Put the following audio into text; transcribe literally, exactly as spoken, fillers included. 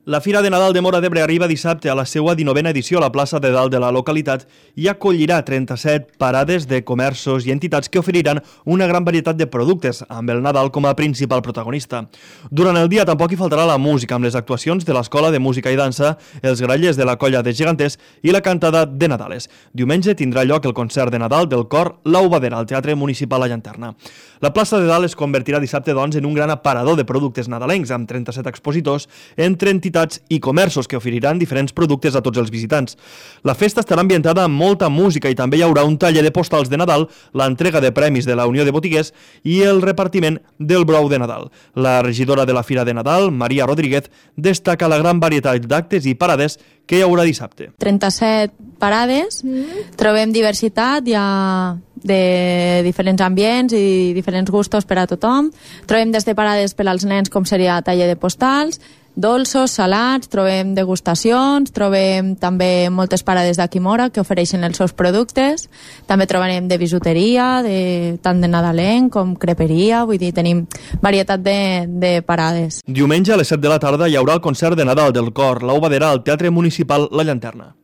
La Fira de Nadal de Móra d'Ebre arriba dissabte a la seva dinovena edició a la plaça de dalt de la localitat i acollirà trenta-set parades de comerços i entitats que oferiran una gran varietat de productes, amb el Nadal com a principal protagonista. Durant el dia tampoc hi faltarà la música, amb les actuacions de l'Escola de Música i Dansa, els grallers de la Colla de Geganters i la cantada de Nadales. Diumenge tindrà lloc el concert de Nadal del cor La Ubadera al Teatre Municipal La Llanterna. La plaça de dalt es convertirà dissabte, doncs, en un gran aparador de productes nadalencs, amb trenta-set expositors entre entitats i comerços que oferiran diferents productes a tots els visitants. La festa estarà ambientada amb molta música i també hi haurà un taller de postals de Nadal, l'entrega de premis de la Unió de Botiguers i el repartiment del brou de Nadal. La regidora de la Fira de Nadal, Maria Rodríguez, destaca la gran varietat d'actes i parades que hi haurà dissabte. trenta-set parades, mm. trobem diversitat, hi ha de diferents ambients i diferents gustos per a tothom. Trobem des de parades per als nens, com seria taller de postals, dolços, salats, trobem degustacions, trobem també moltes parades d'aquí Móra que ofereixen els seus productes, també trobarem de bisuteria, de, tant de nadalenc com creperia, vull dir, tenim varietat de, de parades. Diumenge a les set de la tarda hi haurà el concert de Nadal del cor La Ubadera al Teatre Municipal La Llanterna.